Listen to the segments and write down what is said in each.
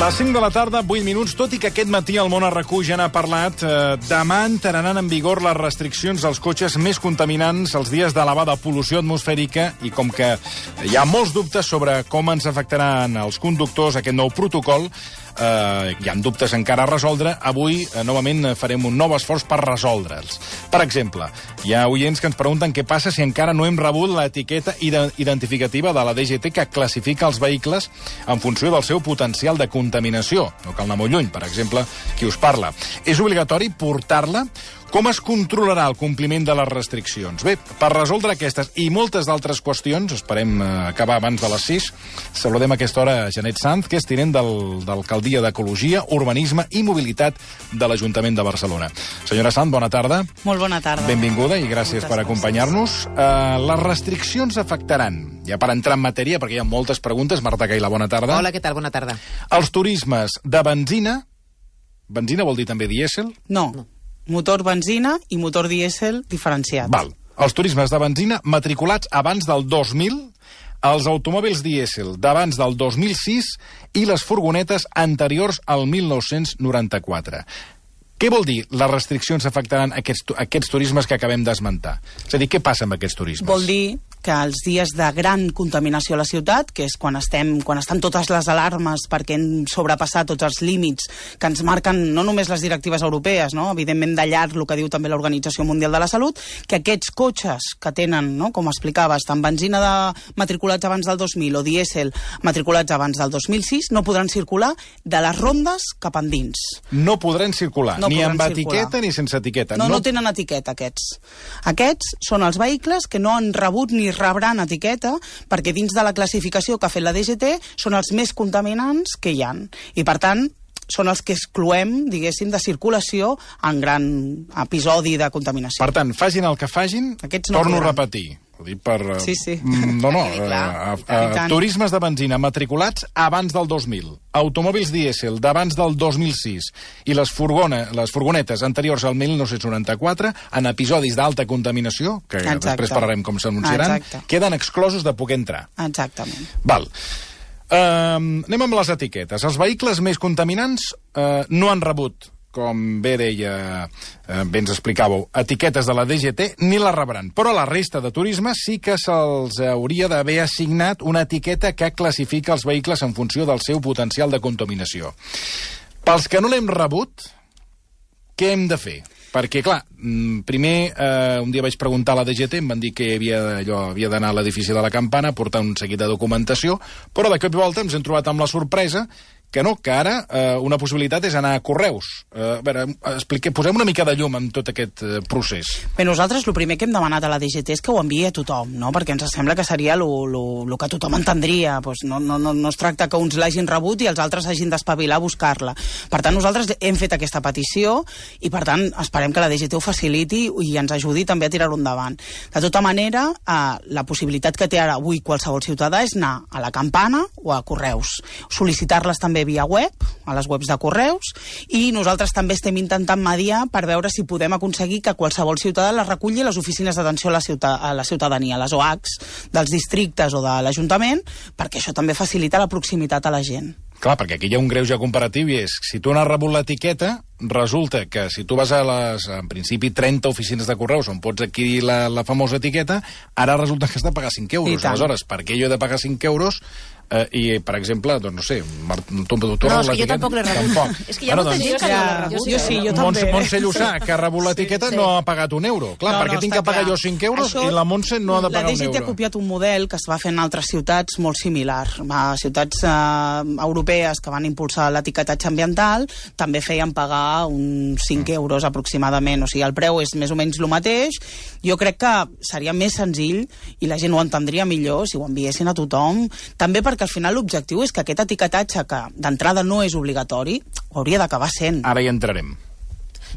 Les 5 de la tarda, 8 minuts, tot i que aquest matí el món RQ ja n'ha parlat, demà entraran en vigor les restriccions als cotxes més contaminants els dies d'elevada pol·lució atmosfèrica i com que hi ha molts dubtes sobre com ens afectaran els conductors aquest nou protocol, hi ha dubtes encara a resoldre, avui novament farem un nou esforç per resoldre'ls. Per exemple, hi ha oients que ens pregunten què passa si encara no hem rebut l'etiqueta identificativa de la DGT que classifica els vehicles en funció del seu potencial de contaminació. No cal anar molt lluny, per exemple, qui us parla. És obligatori portar-la? Com es controlarà el compliment de les restriccions? Bé, per resoldre aquestes i moltes d'altres qüestions, esperem acabar abans de les 6, saludem a aquesta hora Janet Sanz, que és tinent d'Alcaldia d'Ecologia, Urbanisme i Mobilitat de l'Ajuntament de Barcelona. Senyora Sanz, bona tarda. Molt bona tarda. Benvinguda i gràcies per acompanyar-nos. Les restriccions afectaran, ja per entrar en matèria, perquè hi ha moltes preguntes. Marta Caila, bona tarda. Hola, què tal? Bona tarda. Els turismes de benzina vol dir també dièsel? No. Motor benzina i motor dièsel diferenciats. Val. Els turismes de benzina matriculats abans del 2000, els automòbils dièsel d'abans del 2006 i les furgonetes anteriors al 1994. Què vol dir les restriccions afectaran aquests turismes que acabem d'esmentar? És a dir, què passa amb aquests turismes? Vol dir que els dies de gran contaminació a la ciutat, que és quan estan totes les alarmes perquè hem sobrepassat tots els límits que ens marquen no només les directives europees, no? Evidentment de llarg el que diu també l'Organització Mundial de la Salut, que aquests cotxes que tenen, no, com explicaves, tant benzina matriculats abans del 2000 o dièsel matriculats abans del 2006, no podran circular de les rondes cap endins. No podran circular, no ni podran amb circular. etiqueta ni sense etiqueta. No tenen etiqueta, aquests. Aquests són els vehicles que no han rebut ni rebran etiqueta, perquè dins de la classificació que ha fet la DGT són els més contaminants que hi ha. I, per tant, són els que excloem, diguéssim, de circulació en gran episodi de contaminació. Per tant, facin el que facin, torno a repetir. Ho dic per... Sí. Turismes de benzina matriculats abans del 2000, automòbils dièsel d'abans del 2006 i les furgonetes anteriors al 1994 en episodis d'alta contaminació, que després parlarem com s'anunciaran, queden exclosos de poder entrar. Exactament. Val. Anem amb les etiquetes. Els vehicles més contaminants no han rebut, com bé deia, bé ens explicàveu, etiquetes de la DGT, ni la rebran. Però a la resta de turisme sí que se'ls hauria d'haver assignat una etiqueta que classifica els vehicles en funció del seu potencial de contaminació. Pels que no l'hem rebut, què hem de fer? Perquè, clar, primer un dia vaig preguntar a la DGT, em van dir que havia d'anar a l'edifici de la Campana, portar un seguit de documentació, però de cop i volta ens hem trobat amb la sorpresa que no, que ara una possibilitat és anar a Correus. A veure, posem una mica de llum en tot aquest procés. Bé, nosaltres el primer que hem demanat a la DGT és que ho enviï a tothom, no? Perquè ens sembla que seria el que tothom entendria. Pues no es tracta que uns l'hagin rebut i els altres hagin d'espavilar a buscar-la. Per tant, nosaltres hem fet aquesta petició i, per tant, esperem que la DGT ho faciliti i ens ajudi també a tirar-ho endavant. De tota manera, la possibilitat que té ara avui qualsevol ciutadà és anar a la Campana o a Correus. Sol·licitar-les també via web, a les webs de Correus, i nosaltres també estem intentant mediar per veure si podem aconseguir que qualsevol ciutadà les reculli a les oficines d'atenció a la ciutadania, a les OACs dels districtes o de l'Ajuntament, perquè això també facilita la proximitat a la gent. Clar, perquè aquí hi ha un greuge comparatiu i és, si tu n'has rebut l'etiqueta, resulta que si tu vas a les, en principi, 30 oficines de Correus on pots adquirir la famosa etiqueta, ara resulta que has de pagar 5 euros. Aleshores, per què jo he de pagar 5 euros i, per exemple, doncs no sé, tu no, és que jo tampoc l'he rebut. És que hi ha molta gent que no l'ha rebut. Jo sí, jo també. Montse Llussà, que ha rebut l'etiqueta, no ha pagat un euro. Clar, perquè tinc que pagar jo 5 euros i la Montse no ha de pagar un euro. La DGT ha copiat un model que es va fer en altres ciutats molt similar. Ciutats europees que van impulsar l'etiquetatge ambiental també feien pagar uns 5 euros aproximadament. O sigui, el preu és més o menys el mateix. Jo crec que seria més senzill i la gent ho entendria millor si ho enviessin a tothom. També perquè al final l'objectiu és que aquest etiquetatge, que d'entrada no és obligatori, ho hauria d'acabar sent. Ara hi entrarem.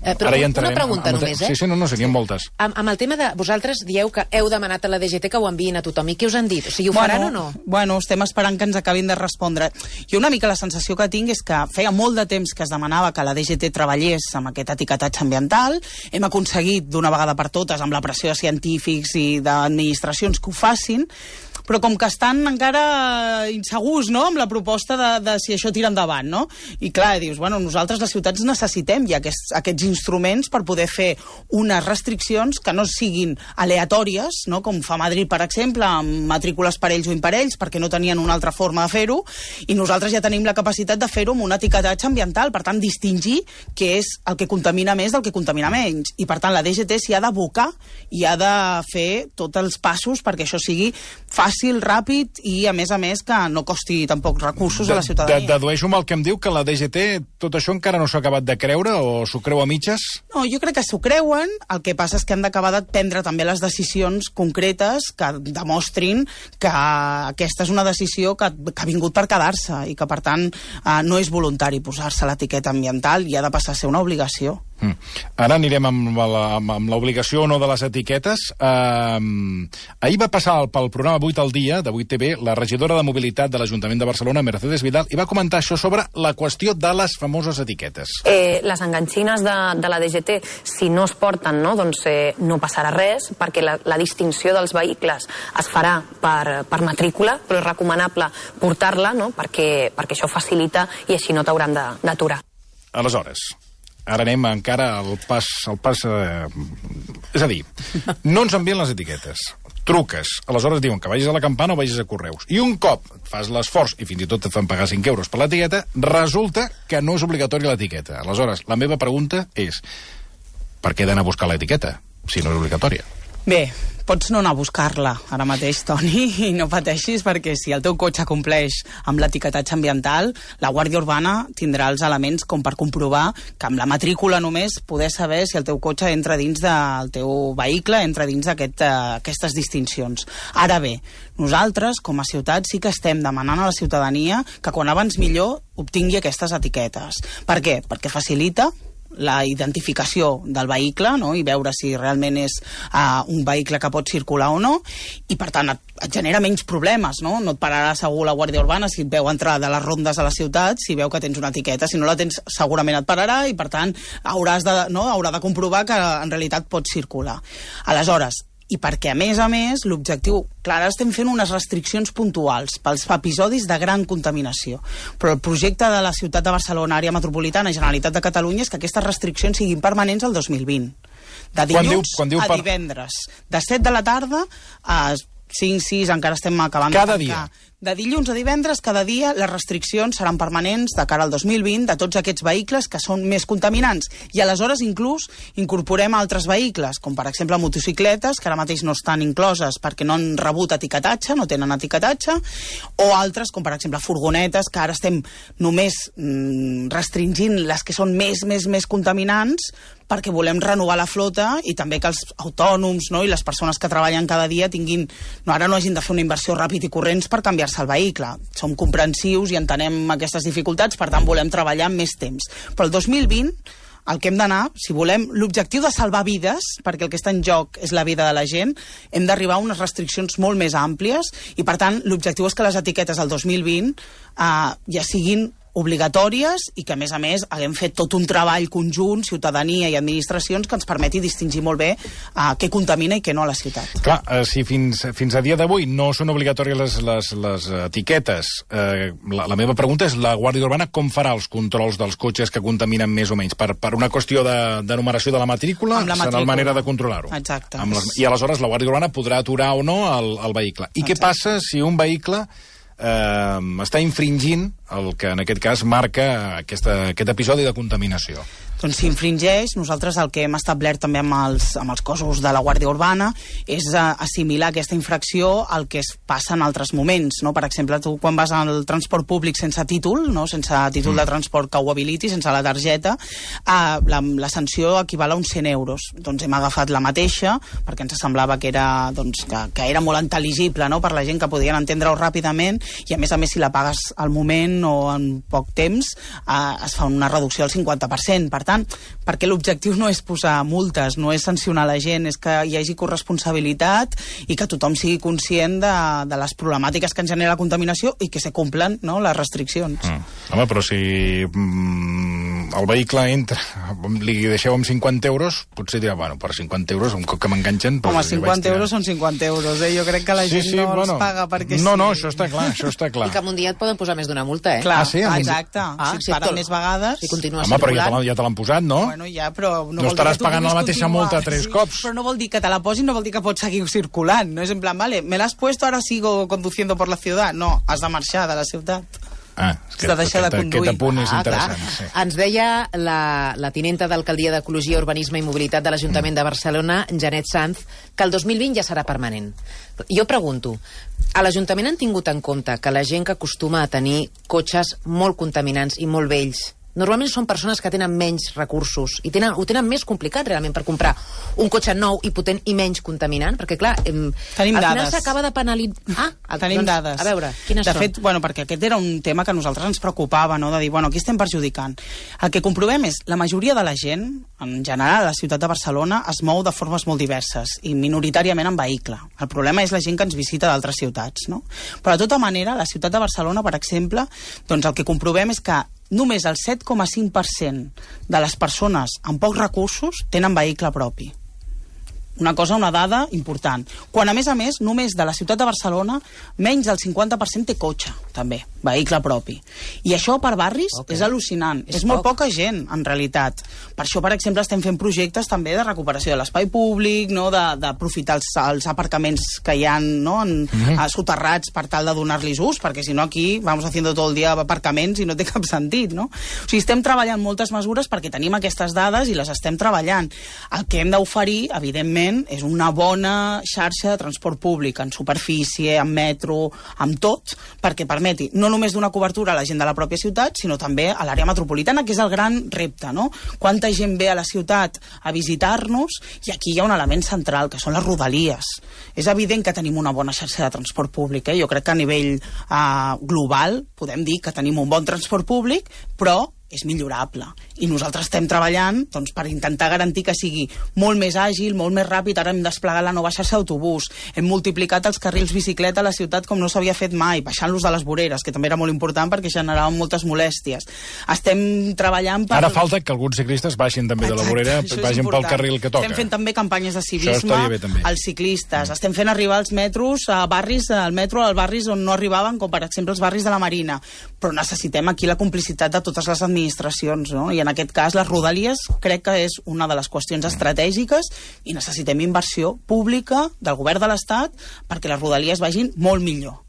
Però una pregunta només, Sí, no, serien moltes. Amb el tema de... Vosaltres dieu que heu demanat a la DGT que ho enviïn a tothom. I què us han dit? O sigui, ho faran o no? Bueno, estem esperant que ens acabin de respondre. Jo una mica la sensació que tinc és que feia molt de temps que es demanava que la DGT treballés amb aquest etiquetatge ambiental. Hem aconseguit d'una vegada per totes, amb la pressió de científics i d'administracions, que ho facin. però com que estan encara insegurs, no?, amb la proposta de si això tira endavant, no? I clar, dius, bueno, nosaltres les ciutats necessitem ja aquests instruments per poder fer unes restriccions que no siguin aleatòries, no?, com fa Madrid, per exemple, amb matrícules parells o imparells, perquè no tenien una altra forma de fer-ho, i nosaltres ja tenim la capacitat de fer-ho amb un etiquetatge ambiental, per tant, distingir què és el que contamina més del que contamina menys. I, per tant, la DGT s'hi ha d'abocar i ha de fer tots els passos perquè això sigui fàcil, ràpid i, a més, que no costi tampoc recursos a la ciutadania. Dedueixo amb el que em diu que la DGT tot això encara no s'ha acabat de creure o s'ho creu a mitges? No, jo crec que s'ho creuen, el que passa és que han d'acabar de prendre també les decisions concretes que demostrin que aquesta és una decisió que ha vingut per quedar-se i que, per tant, no és voluntari posar-se l'etiqueta ambiental i ha de passar a ser una obligació. Ara anirem amb l'obligació o no de les etiquetes. Ahir va passar pel programa 8 al dia, de 8TV, la regidora de Mobilitat de l'Ajuntament de Barcelona, Mercedes Vidal, i va comentar això sobre la qüestió de les famoses etiquetes. Les enganxines de la DGT, si no es porten, no, doncs no passarà res, perquè la distinció dels vehicles es farà per matrícula, però és recomanable portar-la, no?, perquè això facilita i així no t'hauran d'aturar. Aleshores, ara anem encara al pas... És a dir, no ens envien les etiquetes, truques, aleshores diuen que vagis a la campana o vagis a Correus, i un cop fas l'esforç, i fins i tot et fan pagar 5 euros per l'etiqueta, resulta que no és obligatòria l'etiqueta. Aleshores, la meva pregunta és, per què he d'anar a buscar l'etiqueta, si no és obligatòria? Bé, pots no anar a buscar-la ara mateix, Toni, i no pateixis, perquè si el teu cotxe compleix amb l'etiquetatge ambiental, la Guàrdia Urbana tindrà els elements com per comprovar que amb la matrícula només poder saber si el teu cotxe entra dins del teu vehicle, entra dins d'aquestes distincions. Ara bé, nosaltres, com a ciutat, sí que estem demanant a la ciutadania que quan abans millor obtingui aquestes etiquetes. Per què? Perquè facilita la identificació del vehicle, no?, i veure si realment és un vehicle que pot circular o no, i per tant et genera menys problemes, no? No et pararà segur la Guàrdia Urbana si et veu entrar de les rondes a la ciutat, si veu que tens una etiqueta. Si no la tens, segurament et pararà i per tant haurà de comprovar que en realitat pots circular. Aleshores, i perquè, a més, l'objectiu... Clar, ara estem fent unes restriccions puntuals pels episodis de gran contaminació, però el projecte de la ciutat de Barcelona, àrea metropolitana, Generalitat de Catalunya, és que aquestes restriccions siguin permanents al 2020. De dilluns a divendres. De 7 de la tarda a 5, 6, encara estem acabant de tancar. Cada dia. De dilluns a divendres, cada dia, les restriccions seran permanents de cara al 2020 de tots aquests vehicles que són més contaminants. I aleshores inclús incorporem altres vehicles, com per exemple motocicletes, que ara mateix no estan incloses perquè no han rebut etiquetatge, no tenen etiquetatge, o altres, com per exemple furgonetes, que ara estem només restringint les que són més contaminants, perquè volem renovar la flota i també que els autònoms, no?, i les persones que treballen cada dia ara no hagin de fer una inversió ràpid i corrents per canviar-se el vehicle. Som comprensius i entenem aquestes dificultats, per tant volem treballar amb més temps. Però el 2020 el que hem d'anar, si volem, l'objectiu de salvar vides, perquè el que està en joc és la vida de la gent, hem d'arribar a unes restriccions molt més àmplies i, per tant, l'objectiu és que les etiquetes del 2020 ja siguin obligatòries i que, a més, haguem fet tot un treball conjunt, ciutadania i administracions, que ens permeti distingir molt bé què contamina i què no a la ciutat. Clar, si fins a dia d'avui no són obligatòries les etiquetes, la meva pregunta és, la Guàrdia Urbana com farà els controls dels cotxes que contaminen més o menys? Per una qüestió de numeració de la matrícula? Serà la manera de controlar-ho? Exacte. I aleshores la Guàrdia Urbana podrà aturar o no el vehicle. I què passa si un vehicle està infringint el que en aquest cas marca aquest episodi de contaminació? Doncs si infringeix, nosaltres el que hem establert també amb els cossos de la Guàrdia Urbana és assimilar aquesta infracció al que es passa en altres moments, no? Per exemple, tu quan vas al transport públic sense títol, no? Sense títol de transport que ho habiliti, sense la targeta, la sanció equival a uns 100 euros. Doncs hem agafat la mateixa, perquè ens semblava que era molt intel·ligible, no?, per la gent, que podien entendre-ho ràpidament, i a més, si la pagues al moment o en poc temps, es fa una reducció del 50%. Per tant, perquè l'objectiu no és posar multes, no és sancionar la gent, és que hi hagi corresponsabilitat i que tothom sigui conscient de les problemàtiques que ens genera la contaminació i que se complen, no?, les restriccions. Home, però si el vehicle entra, li deixeu amb 50 euros, potser dirà, bueno, per 50 euros, un cop que m'enganxen... Home, 50 euros són 50 euros, Jo crec que la gent no els paga perquè sí. No, això està clar, I que en un dia et poden posar més d'una multa, Clar, sí? exacte. Si et paren més vegades... Si continues Home, però ja te l'han posat, no? Bueno, ja, però... No estaràs pagant la mateixa multa 3 cops. Però no vol dir que te la posin, no vol dir que pots seguir circulant. No és en plan, vale, me l'has puesto, ahora sigo conduciendo por la ciudad. No, has de marxar de la ciutat. És que aquest apunt és interessant. Sí. Ens deia la tinenta d'Alcaldia d'Ecologia, Urbanisme i Mobilitat de l'Ajuntament de Barcelona, Janet Sanz, que el 2020 ja serà permanent. Jo pregunto, a l'Ajuntament han tingut en compte que la gent que acostuma a tenir cotxes molt contaminants i molt vells normalment són persones que tenen menys recursos i ho tenen més complicat realment per comprar un cotxe nou i potent i menys contaminant, perquè clar, al final s'acaba de penalitzar. Tenim dades. A veure, quines són? De fet, perquè aquest era un tema que a nosaltres ens preocupava, no? De dir, aquí estem perjudicant. El que comprovem és, la majoria de la gent, en general, a la ciutat de Barcelona, es mou de formes molt diverses i minoritàriament en vehicle. El problema és la gent que ens visita d'altres ciutats, no? Però de tota manera, a la ciutat de Barcelona, per exemple, doncs el que comprovem és que només el 7,5% de les persones amb pocs recursos tenen vehicle propi. Una dada important. Quan, a més, només de la ciutat de Barcelona, menys del 50% té cotxe, també, vehicle propi. I això per barris és al·lucinant. És molt poca gent, en realitat. Per això, per exemple, estem fent projectes també de recuperació de l'espai públic, no? D'aprofitar els aparcaments que hi ha, no? Soterrats per tal de donar-los ús, perquè si no aquí vamos haciendo todo el dia aparcaments i no té cap sentit, no? O sigui, estem treballant moltes mesures perquè tenim aquestes dades i les estem treballant. El que hem d'oferir, evidentment, és una bona xarxa de transport públic, en superfície, en metro, amb tot, perquè permeti no només donar cobertura a la gent de la pròpia ciutat, sinó també a l'àrea metropolitana, que és el gran repte, no? Quanta gent ve a la ciutat a visitar-nos, i aquí hi ha un element central, que són les rodalies. És evident que tenim una bona xarxa de transport públic, Jo crec que a nivell global podem dir que tenim un bon transport públic, però és millorable. I nosaltres estem treballant per intentar garantir que sigui molt més àgil, molt més ràpid. Ara hem desplegat la nova xarxa d'autobús, hem multiplicat els carrils bicicleta a la ciutat com no s'havia fet mai, baixant-los de les voreres, que també era molt important perquè generaven moltes molèsties. Estem treballant per... Ara falta que alguns ciclistes baixin també de la vorera, vagin pel carril que toca. Estem fent també campanyes de civisme als ciclistes. Estem fent arribar els metros a barris, al metro als barris on no arribaven, com per exemple els barris de la Marina. Però necessitem aquí la complicitat de totes les administracions, no? I en aquest cas les rodalies crec que és una de les qüestions estratègiques i necessitem inversió pública del govern de l'Estat perquè les rodalies vagin molt millor.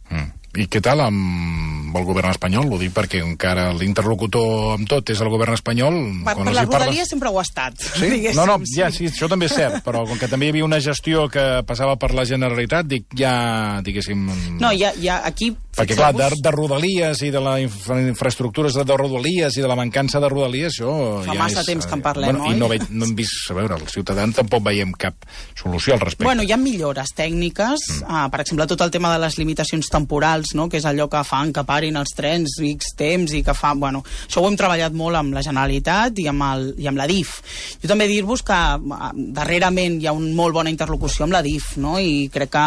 I què tal amb el govern espanyol? Ho dic perquè encara l'interlocutor amb tot és el govern espanyol. Per la rodalia sempre ho ha estat. Sí? No, ja, sí, això també és cert, però com que també hi havia una gestió que passava per la Generalitat, dic, ja, diguéssim... No, ja aquí... Perquè, clar, de rodalies i de les infraestructures de rodalies i de la mancança de rodalies, això fa ja massa temps que en parlem, oi? I no hem vist, a veure, els ciutadans tampoc veiem cap solució al respecte. Hi ha millores tècniques, per exemple, tot el tema de les limitacions temporals, no? Que és allò que fan que parin els trens X temps i que fa... això ho hem treballat molt amb la Generalitat i amb la DIF. Jo també dir-vos que darrerament hi ha una molt bona interlocució amb la DIF, no? I crec que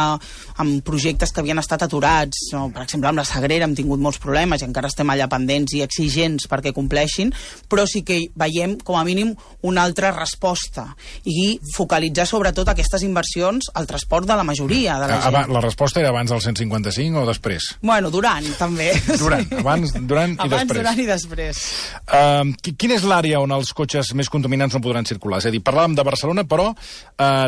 amb projectes que havien estat aturats, no? Per exemple, amb la Sagrera hem tingut molts problemes i encara estem allà pendents i exigents perquè compleixin, però sí que veiem com a mínim una altra resposta i focalitzar sobretot aquestes inversions al transport de la majoria de la gent. La resposta era abans del 155 o després? Durant, també. Durant i després. Quina és l'àrea on els cotxes més contaminants no podran circular? És a dir, parlàvem de Barcelona, però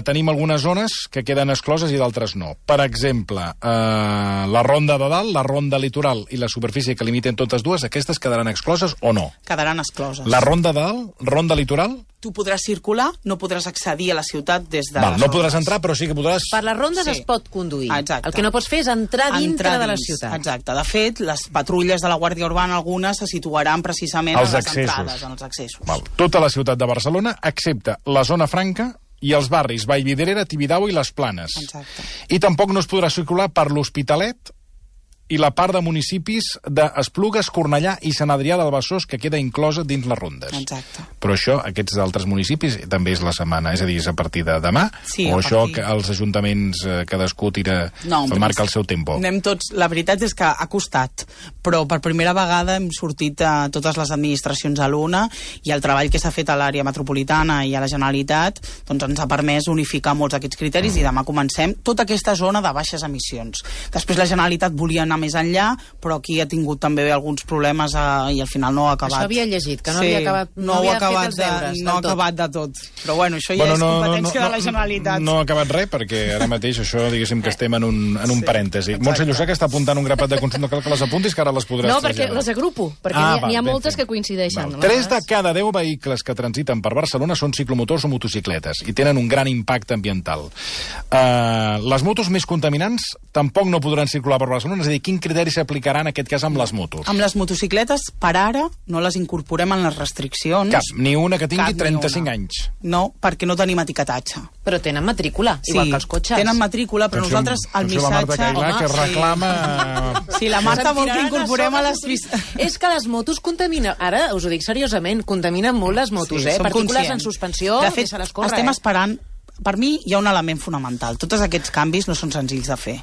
tenim algunes zones que queden excloses i d'altres no. Per exemple, la Ronda de Dalt, la Ronda Litoral i la superfície que limiten totes dues, aquestes quedaran excloses o no? Quedaran excloses. La Ronda de Dalt, Ronda Litoral... Tu podràs circular, no podràs accedir a la ciutat des de... No podràs entrar, però sí que podràs... Per les rondes es pot conduir. Exacte. El que no pots fer és entrar dintre de la ciutat. Exacte. De fet, les patrulles de la Guàrdia Urbana, algunes, se situaran precisament a les entrades, en els accessos. Tota la ciutat de Barcelona, excepte la zona franca i els barris Vallvidrera, Tibidabo i les Planes. Exacte. I tampoc no es podrà circular per l'Hospitalet i la part de municipis d'Esplugues, Cornellà i Sant Adrià del Besòs, que queda inclosa dins les rondes. Exacte. Però això, aquests altres municipis, també és la setmana, és a dir, és a partir de demà? Sí, o això que els ajuntaments cadascú tira, marca el seu tempo? Anem tots, la veritat és que ha costat, però per primera vegada hem sortit a totes les administracions a l'una i el treball que s'ha fet a l'àrea metropolitana i a la Generalitat doncs ens ha permès unificar molts d'aquests criteris i demà comencem tota aquesta zona de baixes emissions. Després la Generalitat volia anar més enllà, però aquí ha tingut també alguns problemes i al final no ha acabat. Això havia llegit, que no havia acabat, no havia fet els deures. No ha acabat de tot. Però bueno, això ja és competència de la Generalitat. No ha acabat res, perquè ara mateix això, diguéssim, que estem en un parèntesi. Montse Llussà, que està apuntant un grapat de consulta, cal que les apuntis, que ara les podràs traslladar. No, perquè les agrupo, perquè n'hi ha moltes que coincideixen. 3 de cada 10 vehicles que transiten per Barcelona són ciclomotors o motocicletes i tenen un gran impacte ambiental. Les motos més contaminants tampoc no podran circular per Barcelona, és a dir, quin criteri s'aplicarà en aquest cas amb les motos? Amb les motocicletes, per ara, no les incorporem en les restriccions. Cap, ni una que tingui 35 anys. No, perquè no tenim etiquetatge. Però tenen matrícula, igual que els cotxes. Tenen matrícula, però nosaltres el missatge... la Marta Cailà, que reclama... Sí, la Marta vol que incorporem a les... És que les motos contaminen... Ara, us ho dic seriosament, contaminen molt les motos, partícules en suspensió, de fet, se les corre. Estem esperant... Per mi hi ha un element fonamental. Tots aquests canvis no són senzills de fer.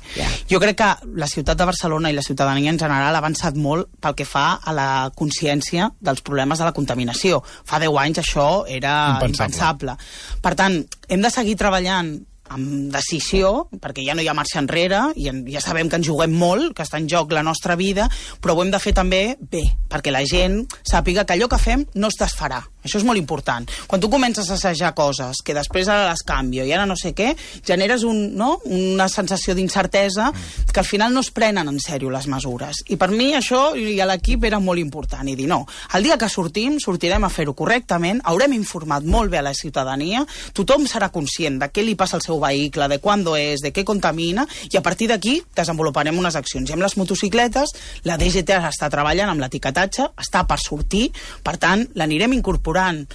Jo crec que la ciutat de Barcelona i la ciutadania en general ha avançat molt pel que fa a la consciència dels problemes de la contaminació. Fa 10 anys això era impensable. Per tant, hem de seguir treballant amb decisió, perquè ja no hi ha marxa enrere, i ja sabem que ens juguem molt, que està en joc la nostra vida, però ho hem de fer també bé, perquè la gent sàpiga que allò que fem no es desfarà. Això és molt important. Quan tu comences a assajar coses, que després ara les canvio i ara no sé què, generes una sensació d'incertesa que al final no es prenen en sèrio les mesures. I per mi això i a l'equip era molt important, i dir no, el dia que sortirem a fer-ho correctament, haurem informat molt bé a la ciutadania, tothom serà conscient de què li passa al seu vehicle, de quan és, de què contamina, i a partir d'aquí desenvoluparem unes accions. I amb les motocicletes, la DGT està treballant amb l'etiquetatge, està per sortir, per tant, l'anirem incorporant.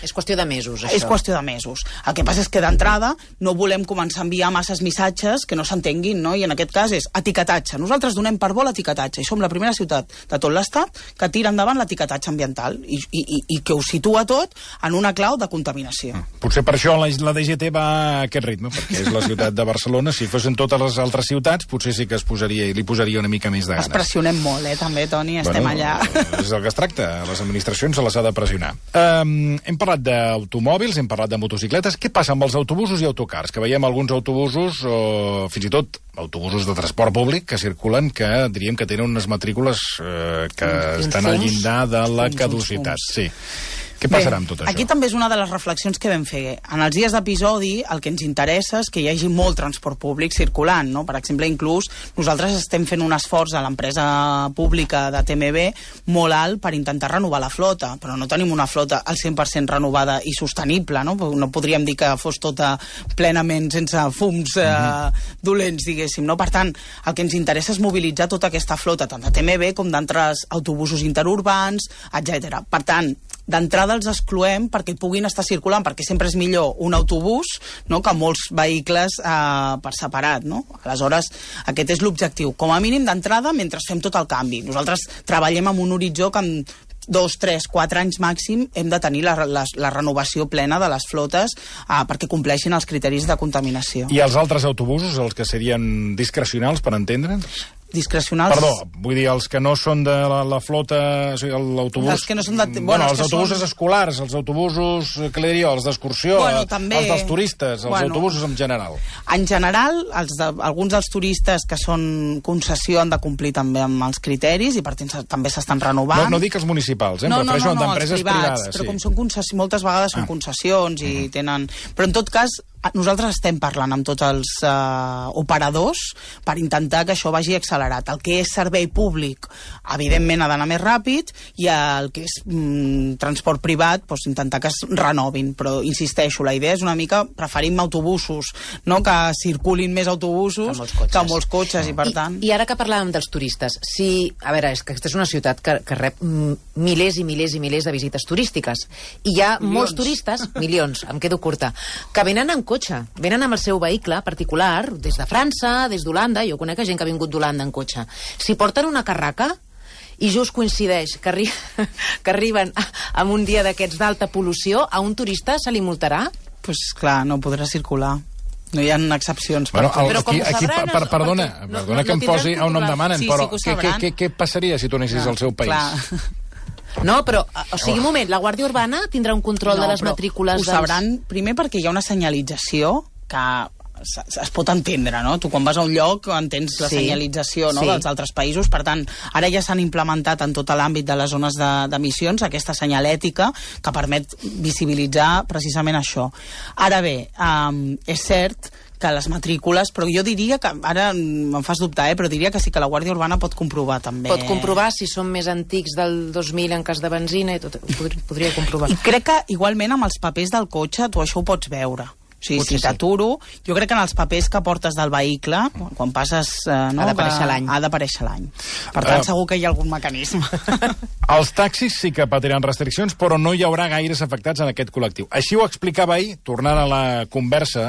És qüestió de mesos, això. És qüestió de mesos. El que passa és que d'entrada no volem començar a enviar masses missatges que no s'entenguin, no? I en aquest cas és etiquetatge. Nosaltres donem per bo l'etiquetatge i som la primera ciutat de tot l'estat que tira endavant l'etiquetatge ambiental i que ho situa tot en una clau de contaminació. Potser per això la DGT va a aquest ritme, perquè és la ciutat de Barcelona. Si fossin totes les altres ciutats, potser sí que li posaria una mica més de ganes. Es pressionem molt, també, Toni, estem allà. És el que es tracta. A les administracions se les ha de pressionar. Hem parlat d'automòbils, hem parlat de motocicletes. Què passa amb els autobusos i autocars? Que veiem alguns autobusos, o fins i tot autobusos de transport públic, que circulen, que diríem que tenen unes matrícules que estan al llindar de la caducitat. Sí. Què passarà amb tot això? Aquí també és una de les reflexions que vam fer. En els dies d'episodi el que ens interessa és que hi hagi molt transport públic circulant, no? Per exemple, inclús nosaltres estem fent un esforç a l'empresa pública de TMB molt alt per intentar renovar la flota, però no tenim una flota al 100% renovada i sostenible, no? No podríem dir que fos tota plenament sense fums dolents, diguéssim, no? Per tant, el que ens interessa és mobilitzar tota aquesta flota, tant de TMB com d'altres autobusos interurbans, etc. Per tant, d'entrada els excloem perquè puguin estar circulant, perquè sempre és millor un autobús, no?, que molts vehicles per separat, no? Aleshores, aquest és l'objectiu. Com a mínim d'entrada, mentre fem tot el canvi. Nosaltres treballem amb un horitzó que en 2, 3, 4 anys màxim hem de tenir la renovació plena de les flotes perquè compleixin els criteris de contaminació. I els altres autobusos, els que serien discrecionals, per entendre'ns? Discrecionals... Perdó, vull dir, els que no són de la flota, o sigui, l'autobús... Els que no són de... Bueno, els autobusos escolars, els autobusos, què li diria, els d'excursió, també... els dels turistes, els autobusos en general. En general, alguns dels turistes que són concessió han de complir també amb els criteris i per tant també s'estan renovant. No dic els municipals, em refereixo a d'empreses privades. Però com són moltes vegades són concessions i tenen... Però en tot cas, nosaltres estem parlant amb tots els operadors per intentar que això vagi accelerat. El que és servei públic, evidentment, ha d'anar més ràpid, i el que és transport privat, doncs, intentar que es renovin. Però, insisteixo, la idea és una mica preferim autobusos, no?, que circulin més autobusos que molts cotxes, i per tant... I ara que parlàvem dels turistes, a veure, és que aquesta és una ciutat que rep milers i milers i milers de visites turístiques, i hi ha molts turistes, milions, em quedo curta, que venen en cotxe cotxe. Venen amb el seu vehicle particular, des de França, des d'Holanda, jo conec gent que ha vingut d'Holanda en cotxe. Si porten una carraca i just coincideix que arriben en un dia d'aquests d'alta pol·lució, a un turista se li multarà? Pues clar, no podrà circular. No hi ha excepcions. Bueno, perdona que em posi on em demanen, però què passaria si tornessis al seu país? No, però, o sigui, un moment, la Guàrdia Urbana tindrà un control de les matrícules dels... Ho sabran, primer perquè hi ha una senyalització que es pot entendre, no? Tu quan vas a un lloc entens la senyalització dels altres països, per tant, ara ja s'han implementat en tot l'àmbit de les zones d'emissions aquesta senyalètica que permet visibilitzar precisament això. Ara bé, és cert que les matrícules, però jo diria que, ara em fas dubtar, però diria que sí que la Guàrdia Urbana pot comprovar també. Pot comprovar si són més antics del 2000 en cas de benzina i tot, podria comprovar. I crec que igualment amb els papers del cotxe tu això ho pots veure. O sigui, si t'aturo, jo crec que en els papers que portes del vehicle, quan passes... ha d'aparèixer l'any. Ha d'aparèixer l'any. Per tant, segur que hi ha algun mecanisme. Els taxis sí que patiran restriccions, però no hi haurà gaires afectats en aquest col·lectiu. Així ho explicava ahir, tornant a la conversa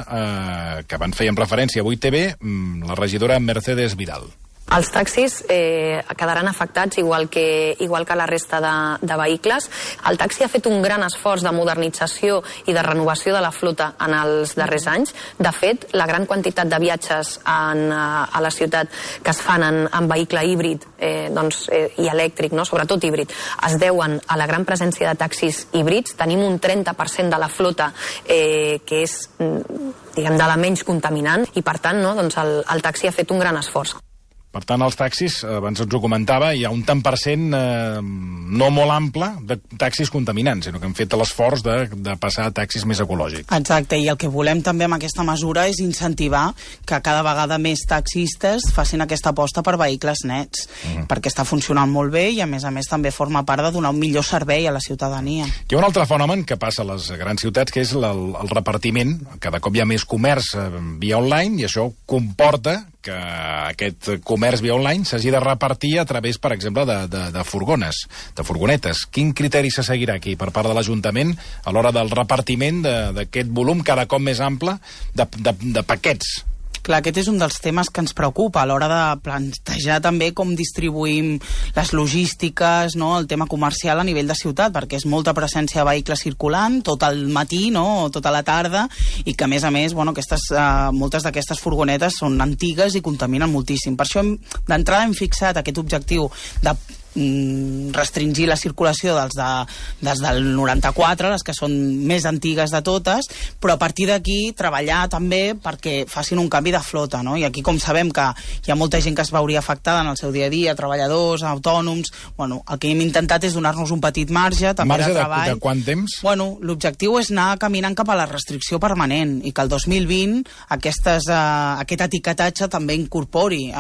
que van fer en referència avui TV, la regidora Mercedes Vidal. Els taxis quedaran afectats igual que la resta de vehicles. El taxi ha fet un gran esforç de modernització i de renovació de la flota en els darrers anys. De fet, la gran quantitat de viatges a la ciutat que es fan en vehicle híbrid i elèctric, sobretot híbrid, es deuen a la gran presència de taxis híbrids. Tenim un 30% de la flota que és, diguem, de la menys contaminant i, per tant, el taxi ha fet un gran esforç. Per tant, els taxis, abans ens ho comentava, hi ha un tant per cent no molt ample de taxis contaminants, sinó que hem fet l'esforç de passar a taxis més ecològics. Exacte, i el que volem també amb aquesta mesura és incentivar que cada vegada més taxistes facin aquesta aposta per vehicles nets, perquè està funcionant molt bé i, a més també forma part de donar un millor servei a la ciutadania. Hi ha un altre fenomen que passa a les grans ciutats, que és el repartiment. Cada cop hi ha més comerç via online i això comporta que aquest comerç via online s'hagi de repartir a través, per exemple, de furgones, de furgonetes. Quin criteri se seguirà aquí per part de l'Ajuntament a l'hora del repartiment d'aquest volum cada cop més ample de paquets? Clar, aquest és un dels temes que ens preocupa a l'hora de plantejar també com distribuïm les logístiques, el tema comercial a nivell de ciutat, perquè és molta presència de vehicles circulant tot el matí, o tota la tarda, i que, a més, moltes d'aquestes furgonetes són antigues i contaminen moltíssim. Per això, d'entrada, hem fixat aquest objectiu de restringir la circulació des del 94, les que són més antigues de totes, però a partir d'aquí treballar també perquè facin un canvi de flota, I aquí, com sabem que hi ha molta gent que es veuria afectada en el seu dia a dia, treballadors, autònoms, el que hem intentat és donar-nos un petit marge també de treball. De quant temps? L'objectiu és anar caminant cap a la restricció permanent i que el 2020 aquest etiquetatge també incorpori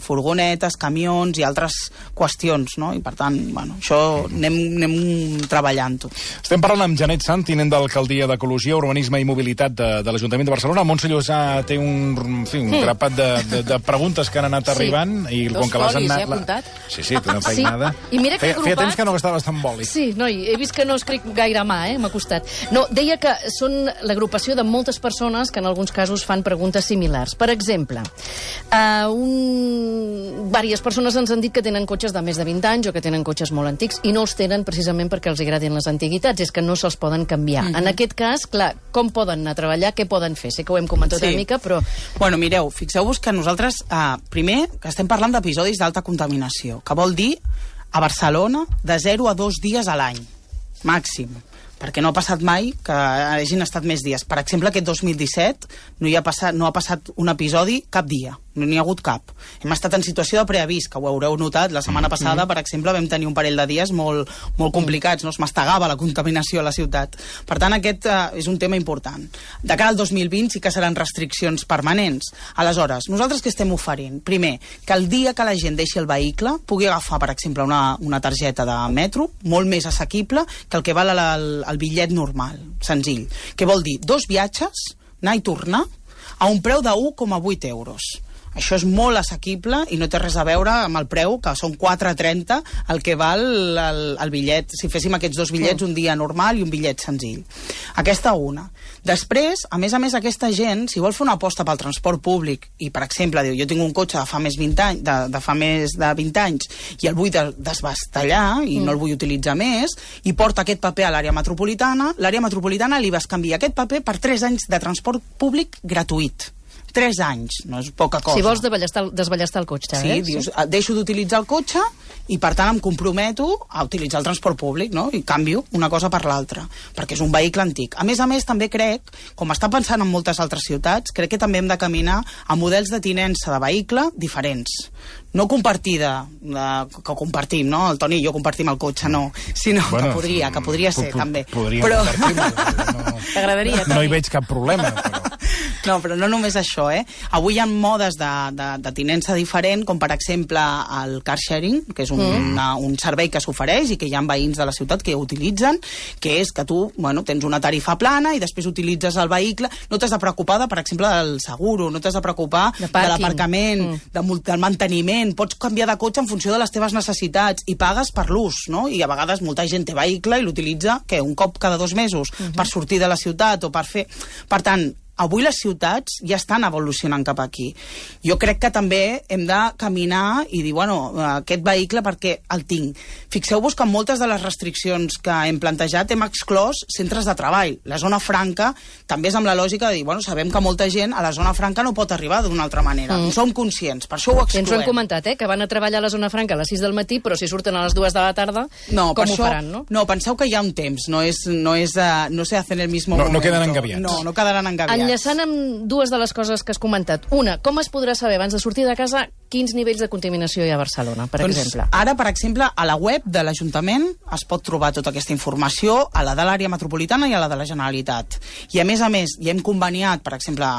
furgonetes, camions i altres qüestions. I per tant, això anem treballant-ho. Estem parlant amb Janet Sant, tinent d'Alcaldia d'Ecologia, Urbanisme i Mobilitat de l'Ajuntament de Barcelona. Montse Llosà té un grapat de preguntes que han anat arribant i com que les han anat... apuntat? Sí, té una feinada. I mira que feia temps que no gastaves tant boli. Sí, he vist que no escric gaire mà, m'ha costat. No, deia que són l'agrupació de moltes persones que en alguns casos fan preguntes similars. Per exemple, diverses persones ens han dit que tenen cotxes de més de 20 anys o que tenen cotxes molt antics i no els tenen precisament perquè els agradin les antiguitats, és que no se'ls poden canviar. En aquest cas, clar, com poden anar a treballar, què poden fer? Sé que ho hem comentat una mica, però... Mireu, fixeu-vos que nosaltres, primer, que estem parlant d'episodis d'alta contaminació, que vol dir a Barcelona de 0 a 2 dies a l'any, màxim, perquè no ha passat mai que hagin estat més dies. Per exemple, aquest 2017 no ha passat un episodi cap dia. No n'hi ha hagut cap. Hem estat en situació de preavís, que ho haureu notat. La setmana passada, per exemple, vam tenir un parell de dies molt complicats. Es mastegava la contaminació a la ciutat. Per tant, aquest és un tema important. De cara al 2020 sí que seran restriccions permanents. Aleshores, nosaltres què estem oferint? Primer, que el dia que la gent deixi el vehicle pugui agafar, per exemple, una targeta de metro, molt més assequible que el que val el bitllet normal, senzill. Què vol dir? 2 viatges, anar i tornar, a un preu de 1,8 euros. Això és molt assequible i no té res a veure amb el preu, que són 4,30 el que val el bitllet. Si féssim aquests dos bitllets, un dia normal i un bitllet senzill. Aquesta una. Després, a més, aquesta gent, si vol fer una aposta pel transport públic i, per exemple, diu, jo tinc un cotxe de fa més de 20 anys i el vull desbastellar i no el vull utilitzar més, i porta aquest paper a l'àrea metropolitana li bescanvia aquest paper per 3 anys de transport públic gratuït. 3 anys, no és poca cosa. Si vols desballestar el cotxe, sí, dius, deixo d'utilitzar el cotxe i, per tant, em comprometo a utilitzar el transport públic, no? I canvio una cosa per l'altra, perquè és un vehicle antic. A més, també crec, com està pensant en moltes altres ciutats, crec que també hem de caminar a models de tinença de vehicle diferents. No compartida, que compartim, no? El Toni i jo compartim el cotxe, no. Sinó que podria ser, també. Podria compartir, t'agradaria, no hi veig cap problema, però... No, però no només això, Avui hi ha modes de tinença diferent, com per exemple el car sharing, que és un servei que s'ofereix i que hi ha veïns de la ciutat que utilitzen, que és que tu, tens una tarifa plana i després utilitzes el vehicle, no t'has de preocupar, per exemple, del seguro, no t'has de preocupar de l'aparcament, del manteniment, pots canviar de cotxe en funció de les teves necessitats i pagues per l'ús, no? I a vegades molta gent té vehicle i l'utilitza, un cop cada 2 mesos, per sortir de la ciutat o per fer... Per tant, avui les ciutats ja estan evolucionant cap aquí. Jo crec que també hem de caminar i dir, aquest vehicle perquè el tinc. Fixeu-vos que en moltes de les restriccions que hem plantejat hem exclòs centres de treball. La zona franca també és amb la lògica de dir, sabem que molta gent a la zona franca no pot arribar d'una altra manera. Som conscients, per això ho excloem. Ens ho hem comentat, que van a treballar a la zona franca a les 6 del matí, però si surten a les 2 de la tarda, com ho faran, no? No, penseu que hi ha un temps, no se hace en el mismo momento. No quedaran engabiats. No quedaran engabiats. Enllaçant amb 2 de les coses que has comentat. Una, com es podrà saber abans de sortir de casa quins nivells de contaminació hi ha a Barcelona, per exemple? Ara, per exemple, a la web de l'Ajuntament es pot trobar tota aquesta informació, a la de l'àrea metropolitana i a la de la Generalitat. I a més, ja hem conveniat, per exemple,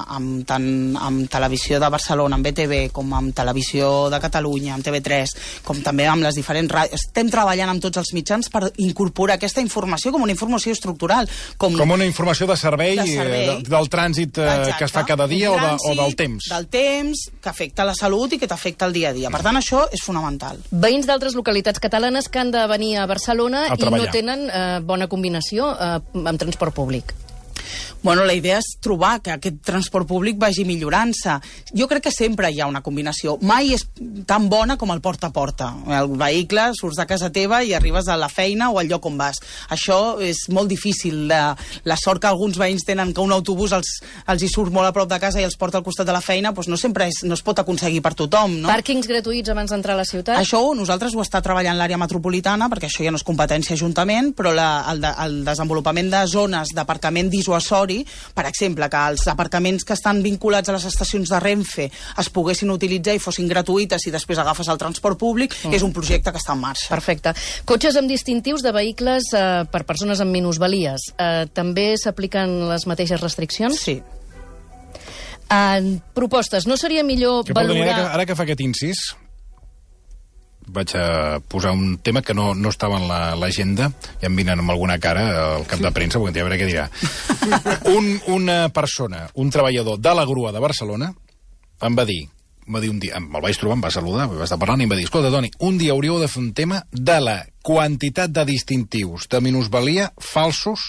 tant amb Televisió de Barcelona, amb BTV, com amb Televisió de Catalunya, amb TV3, com també amb les diferents ràdios. Estem treballant amb tots els mitjans per incorporar aquesta informació com una informació estructural. Com una informació de servei. Del trànsit que es fa cada dia o del temps. Del temps, que afecta la salut i que t'afecta el dia a dia. Per tant, això és fonamental. Veïns d'altres localitats catalanes que han de venir a Barcelona i no tenen bona combinació amb transport públic. La idea és trobar que aquest transport públic vagi millorant-se. Jo crec que sempre hi ha una combinació. Mai és tan bona com el porta a porta. El vehicle, surts de casa teva i arribes a la feina o al lloc on vas. Això és molt difícil. La sort que alguns veïns tenen que un autobús els hi surt molt a prop de casa i els porta al costat de la feina, no sempre no es pot aconseguir per tothom, no? Pàrquings gratuïts abans d'entrar a la ciutat? Això nosaltres ho està treballant l'àrea metropolitana, perquè això ja no és competència ajuntament, però el desenvolupament de zones d'aparcament dissuasori, per exemple, que els aparcaments que estan vinculats a les estacions de Renfe es poguessin utilitzar i fossin gratuïtes i després agafes el transport públic, és un projecte que està en marxa. Perfecte. Cotxes amb distintius de vehicles per persones amb minusvalies. També s'apliquen les mateixes restriccions? Sí. Propostes. No seria millor valorar... Ara que fa aquest incís, vaig a posar un tema que no estava en l'agenda, ja em vinen amb alguna cara al cap de premsa, perquè a veure què dirà. Una persona, un treballador de la grua de Barcelona, em va dir un dia, me'l vaig trobar, em va saludar, va estar parlant i em va dir, escolta, Toni, un dia hauríeu de fer un tema de la quantitat de distintius de minusvalia falsos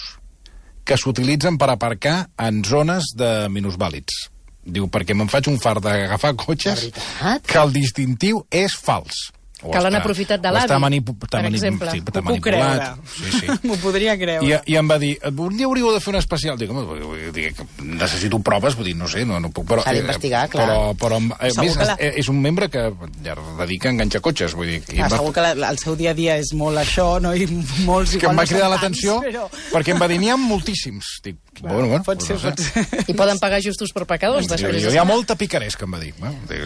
que s'utilitzen per aparcar en zones de minusvàlids. Diu, perquè me'n faig un fart d'agafar cotxes que el distintiu és fals. Que l'han aprofitat de l'avi, per exemple. Sí, està manipulat. Sí. M'ho podria creure. I em va dir, un dia hauríeu de fer un especial. Dic, necessito proves, vull dir, no sé, no puc... S'ha d'investigar, clar. Però a més, és un membre que ja dedica a enganxar cotxes, vull dir... Segur que el seu dia a dia és molt això, no? I molts... Que em va cridar l'atenció, perquè em va dir, n'hi ha moltíssims. Dic, bueno, pot ser. I poden pagar justos per pecadors, després. Hi ha molta picaresca, em va dir.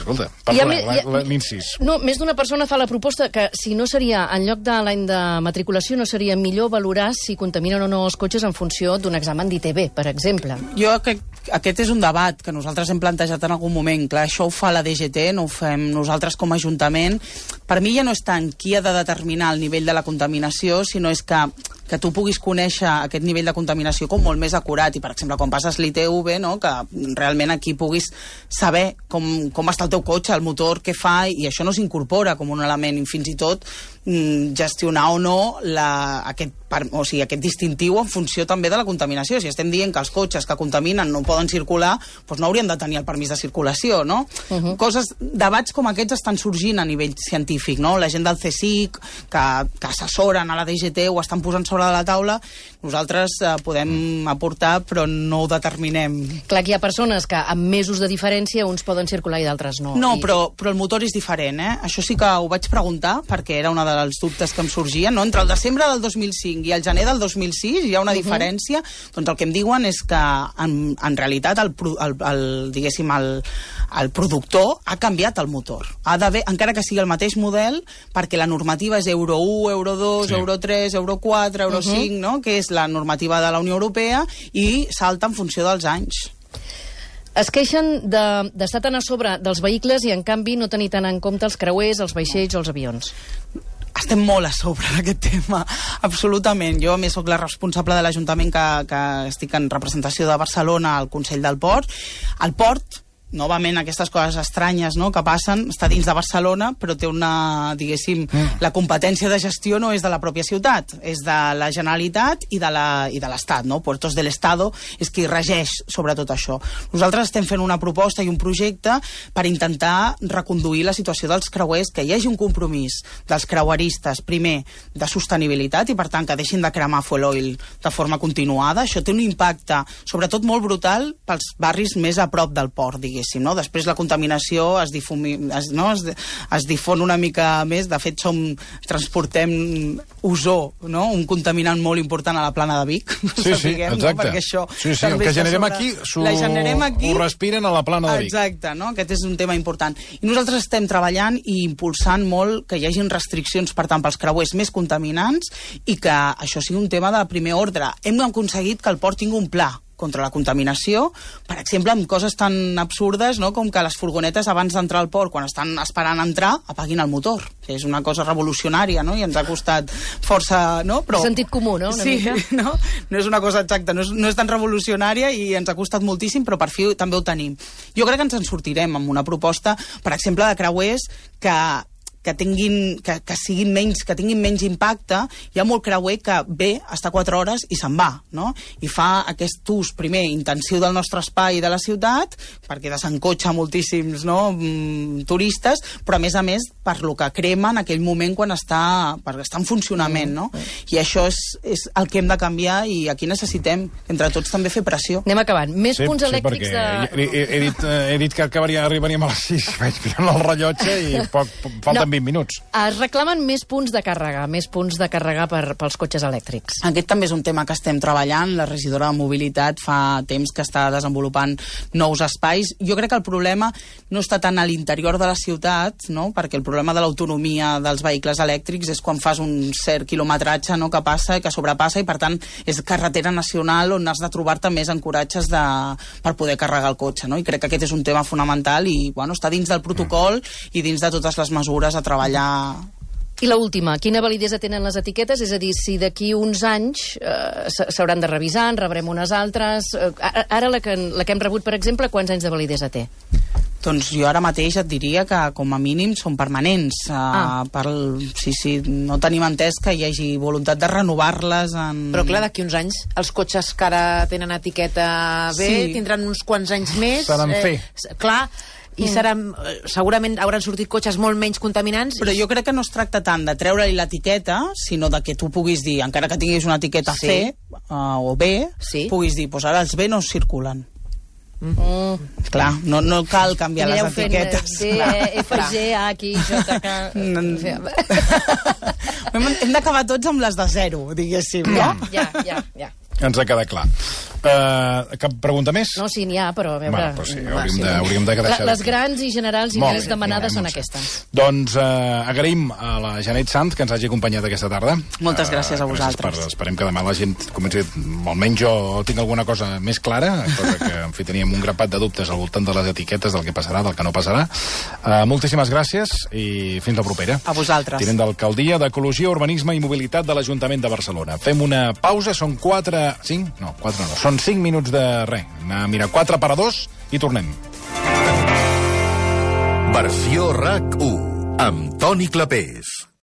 Escolta, parla l'incís. No, més d'una persona fa la proposta que si no seria, en lloc de l'any de matriculació, no seria millor valorar si contaminen o no els cotxes en funció d'un examen d'ITB, per exemple. Jo crec que aquest és un debat que nosaltres hem plantejat en algun moment. Clar, això ho fa la DGT, no ho fem nosaltres com a Ajuntament. Per mi ja no és tant qui ha de determinar el nivell de la contaminació, sinó és que tu puguis conèixer aquest nivell de contaminació com molt més acurat, i per exemple quan passes l'ITV, no? Que realment aquí puguis saber com està el teu cotxe, el motor, què fa, i això no s'incorpora com un element, i fins i tot gestionar o no aquest distintiu en funció també de la contaminació. Si estem dient que els cotxes que contaminen no poden circular, doncs no haurien de tenir el permís de circulació, no? Debats com aquests estan sorgint a nivell científic, no? La gent del CSIC, que assessoren a la DGT, ho estan posant sobre de la taula. Nosaltres podem aportar, però no ho determinem. Clar que hi ha persones que amb mesos de diferència uns poden circular i d'altres no. No, però el motor és diferent, eh? Això sí que ho vaig preguntar, perquè era una dels dubtes que em sorgien, no? Entre el desembre del 2005 i el gener del 2006 hi ha una diferència. Doncs el que em diuen és que en realitat diguéssim, el productor ha canviat el motor. Ha d'haver, encara que sigui el mateix model, perquè la normativa és Euro 1, Euro 2, Euro 3, Euro 4, Euro 5, no? Que és la normativa de la Unió Europea, i salta en funció dels anys. Es queixen d'estar tan a sobre dels vehicles i, en canvi, no tenir tant en compte els creuers, els vaixells o els avions. Estem molt a sobre d'aquest tema, absolutament. Jo, a més, soc la responsable de l'Ajuntament que estic en representació de Barcelona al Consell del Port. El port, novament, aquestes coses estranyes, no?, que passen, està dins de Barcelona, però té una, diguéssim, la competència de gestió no és de la pròpia ciutat, és de la Generalitat i de l'Estat, no? Puertos del Estado és qui regeix sobre tot això. Nosaltres estem fent una proposta i un projecte per intentar reconduir la situació dels creuers, que hi hagi un compromís dels creueristes, primer, de sostenibilitat, i per tant que deixin de cremar fuel oil de forma continuada. Això té un impacte, sobretot molt brutal, pels barris més a prop del port, diguéssim. No? Després la contaminació es difon una mica més. De fet, transportem ozó, no? Un contaminant molt important a la plana de Vic. Sí, exacte. No? Perquè això el que generem aquí ho respiren a la plana de Vic. Exacte, no? Aquest és un tema important. I nosaltres estem treballant i impulsant molt que hi hagin restriccions, per tant, pels creuers més contaminants, i que això sigui un tema de primer ordre. Hem aconseguit que el port tingui un pla contra la contaminació, per exemple, amb coses tan absurdes, no?, com que les furgonetes abans d'entrar al port, quan estan esperant entrar, apaguin el motor, que és una cosa revolucionària, no?, i ens ha costat força, no? Però sentit comú, no?, una mica. No? No és una cosa exacta, no és tan revolucionària, i ens ha costat moltíssim, però per fi també ho tenim. Jo crec que ens en sortirem amb una proposta, per exemple, de creuers que tinguin menys impacte. Hi ha molt creuer que ve, està 4 hores i se'n va, no? I fa aquest ús, primer, intensiu del nostre espai de la ciutat, perquè desencotxa moltíssims, no?, turistes, però a més, per lo que crema en aquell moment perquè està en funcionament, no? I això és el que hem de canviar, i aquí necessitem, entre tots, també fer pressió. Anem acabant. Més punts elèctrics de... He dit que arribaríem a les 6, vaig mirant el rellotge i falten 20 minuts. Es reclamen més punts de càrrega pels cotxes elèctrics. Aquest també és un tema que estem treballant. La regidora de Mobilitat fa temps que està desenvolupant nous espais. Jo crec que el problema no està tant a l'interior de la ciutat, no?, perquè el problema de l'autonomia dels vehicles elèctrics és quan fas un cert quilometratge, no?, que passa i que sobrepassa, i per tant és carretera nacional on has de trobar-te més ancoratges per poder carregar el cotxe, no? I crec que aquest és un tema fonamental, i està dins del protocol i dins de totes les mesures a treballar. I l'última, quina validesa tenen les etiquetes? És a dir, si d'aquí uns anys s'hauran de revisar, en rebrem unes altres... Ara la que hem rebut, per exemple, quants anys de validesa té? Doncs jo ara mateix et diria que com a mínim són permanents. No tenim entès que hi hagi voluntat de renovar-les Però clar, d'aquí uns anys els cotxes que ara tenen etiqueta B tindran uns quants anys més. Seran Clar, i segurament hauran sortit cotxes molt menys contaminants. Però jo crec que no es tracta tant de treure-li l'etiqueta, sinó de que tu puguis dir, encara que tinguis una etiqueta C o B, puguis dir, doncs ara els B no circulen. Clar, no cal canviar les etiquetes. F, G, A, Q, J, K... Hem d'acabar tots amb les de 0, diguéssim, no? Ja. Ens ha quedat clar. Cap pregunta més? No, sí, n'hi ha, però a veure... Bueno, però sí, hauríem de deixar... Les grans i generals i més demanades són aquestes. Doncs agraïm a la Janet Sanz que ens hagi acompanyat aquesta tarda. Moltes gràcies a vosaltres. Esperem que demà la gent comenci... Almenys jo tinc alguna cosa més clara, cosa que, en fi, teníem un grapat de dubtes al voltant de les etiquetes, del que passarà, del que no passarà. Moltíssimes gràcies i fins la propera. A vosaltres. Tinent d'Alcaldia d'Ecologia, Urbanisme i Mobilitat de l'Ajuntament de Barcelona. Fem una pausa, són 5 minuts de res. Anar a mirar 4 per a 2 i tornem. Versió RAC 1 amb Toni Clapés.